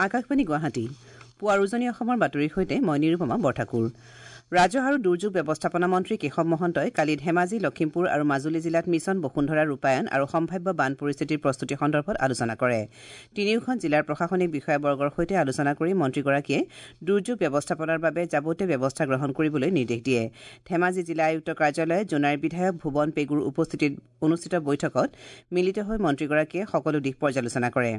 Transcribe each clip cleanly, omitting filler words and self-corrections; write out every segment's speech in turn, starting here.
আকাশবাণী গুৱাহাটী পুৱাৰ উজনি অসমৰ বাতৰিৰ সৈতে মই নিৰুপমা বৰঠাকুৰ। ৰাজহ আৰু দুৰ্যোগ ব্যৱস্থাপনা মন্ত্ৰী কেশৱ মহন্তই কালি ধেমাজি, লখিমপুৰ আৰু মাজুলী জিলাত মিছন বসুন্ধৰা ৰূপায়ণ আৰু সম্ভাৱ্য বান পৰিস্থিতিৰ প্ৰস্তুতি সন্দৰ্ভত আলোচনা কৰে। তিনিওখন জিলাৰ প্ৰশাসনিক বিষয়াবৰ্গৰ সৈতে আলোচনা কৰি মন্ত্ৰীগৰাকীয়ে দুৰ্যোগ ব্যৱস্থাপনাৰ বাবে যাৱতীয় ব্যৱস্থা গ্ৰহণ কৰিবলৈ নিৰ্দেশ দিয়ে। ধেমাজি জিলা আয়ুক্ত কাৰ্যালয়ত জোনাইৰ বিধায়ক ভুৱন পেগুৰ উপস্থিতিত অনুষ্ঠিত বৈঠকত মিলিত হৈ মন্ত্ৰীগৰাকীয়ে সকলো দিশ পৰ্যালোচনা কৰে।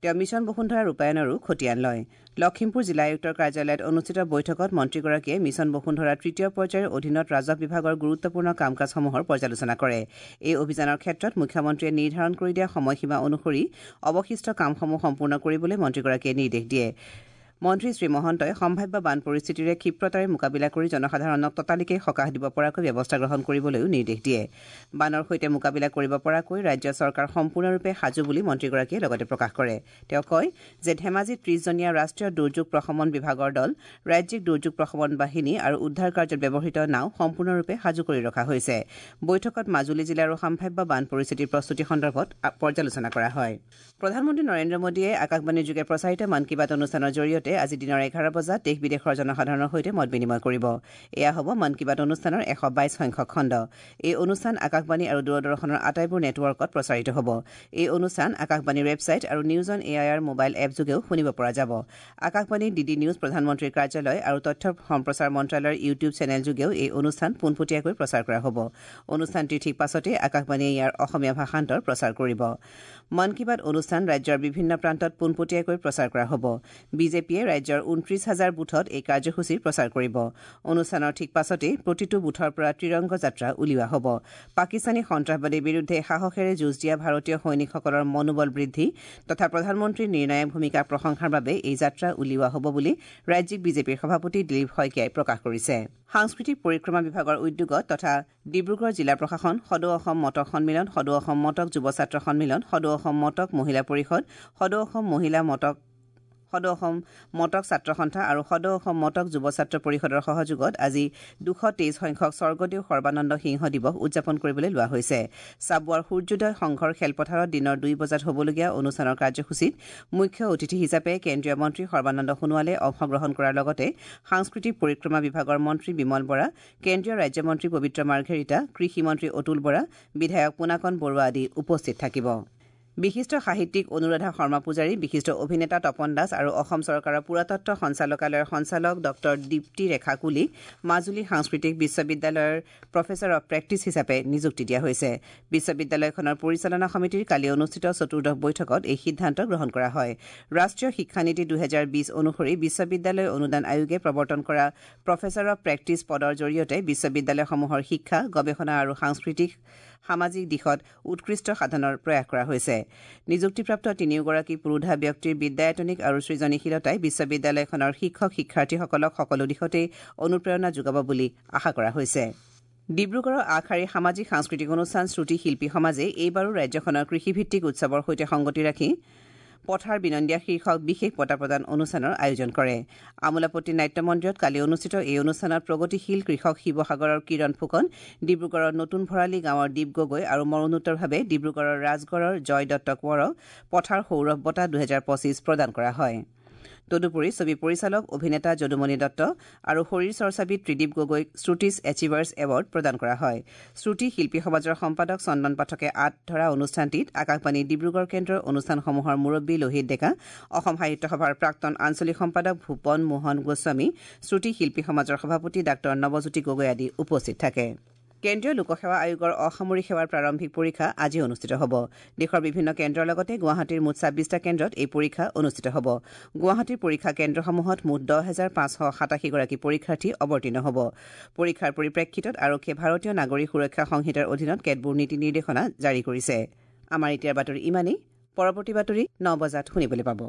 তেওঁ মিছন বসুন্ধৰা ৰূপায়ণৰো খতিয়ান লয়। লখিমপুৰ জিলা আয়ুক্তৰ কাৰ্যালয়ত অনুষ্ঠিত বৈঠকত মন্ত্ৰীগৰাকীয়ে মিছন বসুন্ধৰাৰ তৃতীয় পৰ্যায়ৰ অধীনত ৰাজহ বিভাগৰ গুৰুত্বপূৰ্ণ কাম কাজসমূহৰ পৰ্যালোচনা কৰে। এই অভিযানৰ ক্ষেত্ৰত মুখ্যমন্ত্ৰীয়ে নিৰ্ধাৰণ কৰি দিয়া সময়সীমা অনুসৰি অৱশিষ্ট কামসমূহ সম্পূৰ্ণ কৰিবলৈ মন্ত্ৰীগৰাকীয়ে নিৰ্দেশ দিয়ে। মন্ত্ৰী শ্ৰী মহন্তই সম্ভাৱ্য বান পৰিস্থিতিৰে ক্ষিপ্ৰতাৰে মোকাবিলা কৰি জনসাধাৰণক ততালিকে সকাহ দিব পৰাকৈ ব্যৱস্থা গ্ৰহণ কৰিবলৈও নিৰ্দেশ দিয়ে। বানৰ সৈতে মোকাবিলা কৰিব পৰাকৈ ৰাজ্য চৰকাৰ সম্পূৰ্ণৰূপে সাজু বুলি মন্ত্ৰীগৰাকীয়ে লগতে প্ৰকাশ কৰে। তেওঁ কয় যে ধেমাজিত ৩০জনীয়া ৰাষ্ট্ৰীয় দুৰ্যোগ প্ৰশমন বিভাগৰ দল, ৰাজ্যিক দুৰ্যোগ প্ৰশমন বাহিনী আৰু উদ্ধাৰ কাৰ্যত ব্যৱহৃত নাও সম্পূৰ্ণৰূপে সাজু কৰি ৰখা হৈছে। বৈঠকত মাজুলী জিলাৰো সম্ভাৱ্য বান পৰিস্থিতিৰ প্ৰস্তুতি সন্দৰ্ভত পৰ্যালোচনা কৰা হয়। প্ৰধানমন্ত্ৰী নৰেন্দ্ৰ মোদীয়ে আকাশবাণীৰ যোগে প্ৰচাৰিত মন কী বাত অনুষ্ঠানৰ জৰিয়তে আজি দিনৰ ১১ বজাত দেশ বিদেশৰ জনসাধাৰণৰ সৈতে মত বিনিময় কৰিব। এয়া হ'ব মন কী বাত অনুষ্ঠানৰ ১২২ সংখ্যক খণ্ড। এই অনুষ্ঠান আকাশবাণী আৰু দূৰদৰ্শনৰ আটাইবোৰ নেটৱৰ্কত প্ৰচাৰিত হ'ব। এই অনুষ্ঠান আকাশবাণীৰ ৱেবছাইট আৰু news on AIR mobile app যোগেও শুনিব পৰা যাব। আকাশবাণী, ডিডি নিউজ, প্ৰধানমন্ত্ৰীৰ কাৰ্যালয় আৰু তথ্য সম্প্ৰচাৰ মন্ত্ৰালয়ৰ ইউটিউব চেনেল যোগেও এই অনুষ্ঠান পোনপটীয়াকৈ প্ৰচাৰ কৰা হ'ব। অনুষ্ঠানটিৰ ঠিক পাছতে আকাশবাণীয়ে ইয়াৰ অসমীয়া ভাষান্তৰ প্ৰচাৰ কৰিব। মন কী বাত অনুষ্ঠান ৰাজ্যৰ বিভিন্ন প্ৰান্তত পোনপটীয়াকৈ প্ৰচাৰ কৰা হ'ব। বিজেপিয়ে ৰাজ্যৰ ২৯ হাজাৰ বুথত এই কাৰ্যসূচীৰ প্ৰচাৰ কৰিব। অনুষ্ঠানৰ ঠিক পাছতেই প্ৰতিটো বুথৰ পৰা ত্ৰিৰংগ যাত্ৰা উলিওৱা হ'ব। পাকিস্তানী সন্ত্ৰাসবাদীৰ বিৰুদ্ধে সাহসেৰে যুঁজ দিয়া ভাৰতীয় সৈনিকসকলৰ মনোবল বৃদ্ধি তথা প্ৰধানমন্ত্ৰীৰ নিৰ্ণায়ক ভূমিকাক প্ৰশংসাৰ বাবে এই যাত্ৰা উলিওৱা হ'ব বুলি ৰাজ্যিক বিজেপিৰ সভাপতি দিলীপ শইকীয়াই প্ৰকাশ কৰিছে। সাংস্কৃতিক পৰিক্ৰমা বিভাগৰ উদ্যোগত তথা ডিব্ৰুগড় জিলা প্ৰশাসন, সদৌ অসম মটক সন্মিলন, সদৌ অসম মটক যুৱ ছাত্ৰ সন্মিলন, সদৌ অসম মটক মহিলা পৰিষদ, সদৌ অসম মহিলা মটক, সদৌ অসম মটক ছাত্ৰ সন্থা আৰু সদৌ অসম মটক যুৱ ছাত্ৰ পৰিষদৰ সহযোগত আজি ২২৩ সংখ্যক স্বৰ্গদেউ সৰ্বানন্দ সিংহ দিৱস উদযাপন কৰিবলৈ লোৱা হৈছে। চাবুৱাৰ সূৰ্যোদয় সংঘৰ খেলপথাৰত দিনৰ ২ বজাত হ'বলগীয়া অনুষ্ঠানৰ কাৰ্যসূচীত মুখ্য অতিথি হিচাপে কেন্দ্ৰীয় মন্ত্ৰী সৰ্বানন্দ সোণোৱালে অংশগ্ৰহণ কৰাৰ লগতে সাংস্কৃতিক পৰিক্ৰমা বিভাগৰ মন্ত্ৰী বিমল বৰা, কেন্দ্ৰীয় ৰাজ্যমন্ত্ৰী পবিত্ৰ মাৰ্ঘেৰিটা, কৃষিমন্ত্ৰী অতুল বৰা, বিধায়ক পোনাকণ বৰুৱা আদি উপস্থিত থাকিব। বিশিষ্ট সাহিত্যিক অনুৰাধা শৰ্মা পূজাৰী, বিশিষ্ট অভিনেতা তপন দাস আৰু অসম চৰকাৰৰ পুৰাতত্ব সঞ্চালকালয়ৰ সঞ্চালক ডঃ দীপ্তি ৰেখা কুলীক মাজুলী সাংস্কৃতিক বিশ্ববিদ্যালয়ৰ প্ৰফেচাৰ অৱ প্ৰেক্টিছ হিচাপে নিযুক্তি দিয়া হৈছে। বিশ্ববিদ্যালয়খনৰ পৰিচালনা সমিতিৰ কালি অনুষ্ঠিত চতুৰ্দশ বৈঠকত এই সিদ্ধান্ত গ্ৰহণ কৰা হয়। ৰাষ্ট্ৰীয় শিক্ষানীতি ২০২০ অনুসৰি বিশ্ববিদ্যালয় অনুদান আয়োগে প্ৰৱৰ্তন কৰা প্ৰফেচাৰ অৱ প্ৰেক্টিছ পদৰ জৰিয়তে বিশ্ববিদ্যালয়সমূহৰ শিক্ষা, গৱেষণা আৰু সাংস্কৃতিক সামাজিক দিশত উৎকৃষ্ট সাধনৰ প্ৰয়াস কৰা হৈছে। নিযুক্তিপ্ৰাপ্ত তিনিওগৰাকী পুৰোধা ব্যক্তিৰ বিদ্যায়তনিক আৰু সৃজনীশীলতাই বিশ্ববিদ্যালয়খনৰ শিক্ষক শিক্ষাৰ্থীসকলক সকলো দিশতেই অনুপ্ৰেৰণা যোগাব বুলি আশা কৰা হৈছে। ডিব্ৰুগড়ৰ আগশাৰীৰ সামাজিক সাংস্কৃতিক অনুষ্ঠান শ্ৰুতি শিল্পী সমাজে এইবাৰো ৰাজ্যখনৰ কৃষিভিত্তিক উৎসৱৰ সৈতে সংগতি ৰাখি পথাৰ বিনন্দীয়া শীৰ্ষক বিশেষ বঁটা প্ৰদান অনুষ্ঠানৰ আয়োজন কৰে। আমোলাপট্টি নাট্য মন্দিৰত কালি অনুষ্ঠিত এই অনুষ্ঠানত প্ৰগতিশীল কৃষক শিৱসাগৰৰ কিৰণ ফুকন, ডিব্ৰুগড়ৰ নতুন ভৰালী গাঁৱৰ দীপ গগৈ আৰু মৰণোত্তৰভাৱে ডিব্ৰুগড়ৰ ৰাজগড়ৰ জয় দত্ত কোঁৱৰক পথাৰ সৌৰভ বঁটা ২০২৫ প্ৰদান কৰা হয়। তদুপৰি ছবি পৰিচালক অভিনেতা যদুমণি দত্ত আৰু শৰীৰ চৰ্চাবিদ ত্ৰিদীপ গগৈক শ্ৰুতিছ এচিভাৰ্ছ এৱাৰ্ড প্ৰদান কৰা হয়। শ্ৰুতি শিল্পী সমাজৰ সম্পাদক চন্দন পাঠকে আঁত ধৰা অনুষ্ঠানটিত আকাশবাণী ডিব্ৰুগড় কেন্দ্ৰৰ অনুষ্ঠানসমূহৰ মুৰব্বী লোহিত ডেকা, অসম সাহিত্য সভাৰ প্ৰাক্তন আঞ্চলিক সম্পাদক ভূপন মোহন গোস্বামী, শ্ৰুতি শিল্পী সমাজৰ সভাপতি ডাঃ নৱজ্যোতি গগৈ আদি উপস্থিত থাকে। কেন্দ্ৰীয় লোকসেৱা আয়োগৰ অসামৰিক সেৱাৰ প্ৰাৰম্ভিক পৰীক্ষা আজি অনুষ্ঠিত হ'ব। দেশৰ বিভিন্ন কেন্দ্ৰৰ লগতে গুৱাহাটীৰ মুঠ ২৬টা কেন্দ্ৰত এই পৰীক্ষা অনুষ্ঠিত হ'ব। গুৱাহাটীৰ পৰীক্ষা কেন্দ্ৰসমূহত মুঠ ১০,৫৮৭ গৰাকী পৰীক্ষাৰ্থী অৱতীৰ্ণ হ'ব। পৰীক্ষাৰ পৰিপ্ৰেক্ষিতত আৰক্ষীয়ে ভাৰতীয় নাগৰিক সুৰক্ষা সংহিতাৰ অধীনত কেতবোৰ নীতি নিৰ্দেশনা জাৰি কৰিছে। আমাৰ এতিয়াৰ বাতৰি ইমানেই। পৰৱৰ্তী বাতৰি ৯ বজাত শুনিবলৈ পাব।